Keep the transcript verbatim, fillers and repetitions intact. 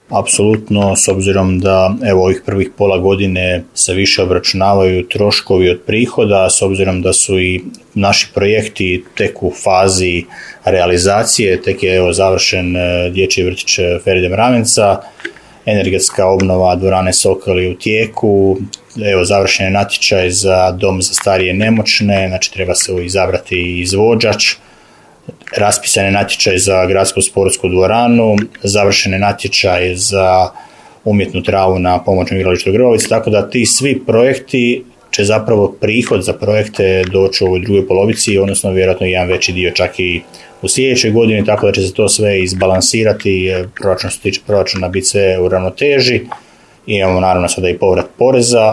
Apsolutno, s obzirom da evo ovih prvih pola godine se više obračunavaju troškovi od prihoda, s obzirom da su i naši projekti tek u fazi realizacije, tek je evo završen dječji vrtić Feride Mravinca, energetska obnova dvorane Sokoli u tijeku, evo završen je natječaj za dom za starije i nemoćne, znači treba se izabrati izvođač. Raspisan je natječaj za gradsku sportsku dvoranu, završen je natječaj za umjetnu travu na pomoćnom igralištu Grbovica, tako da ti svi projekti će zapravo prihod za projekte doći u ovoj drugoj polovici, odnosno vjerojatno jedan veći dio čak i u sljedećoj godini, tako da će se to sve izbalansirati, proračun što se tiče proračuna biti sve u ravnoteži. Imamo naravno sada i povrat poreza.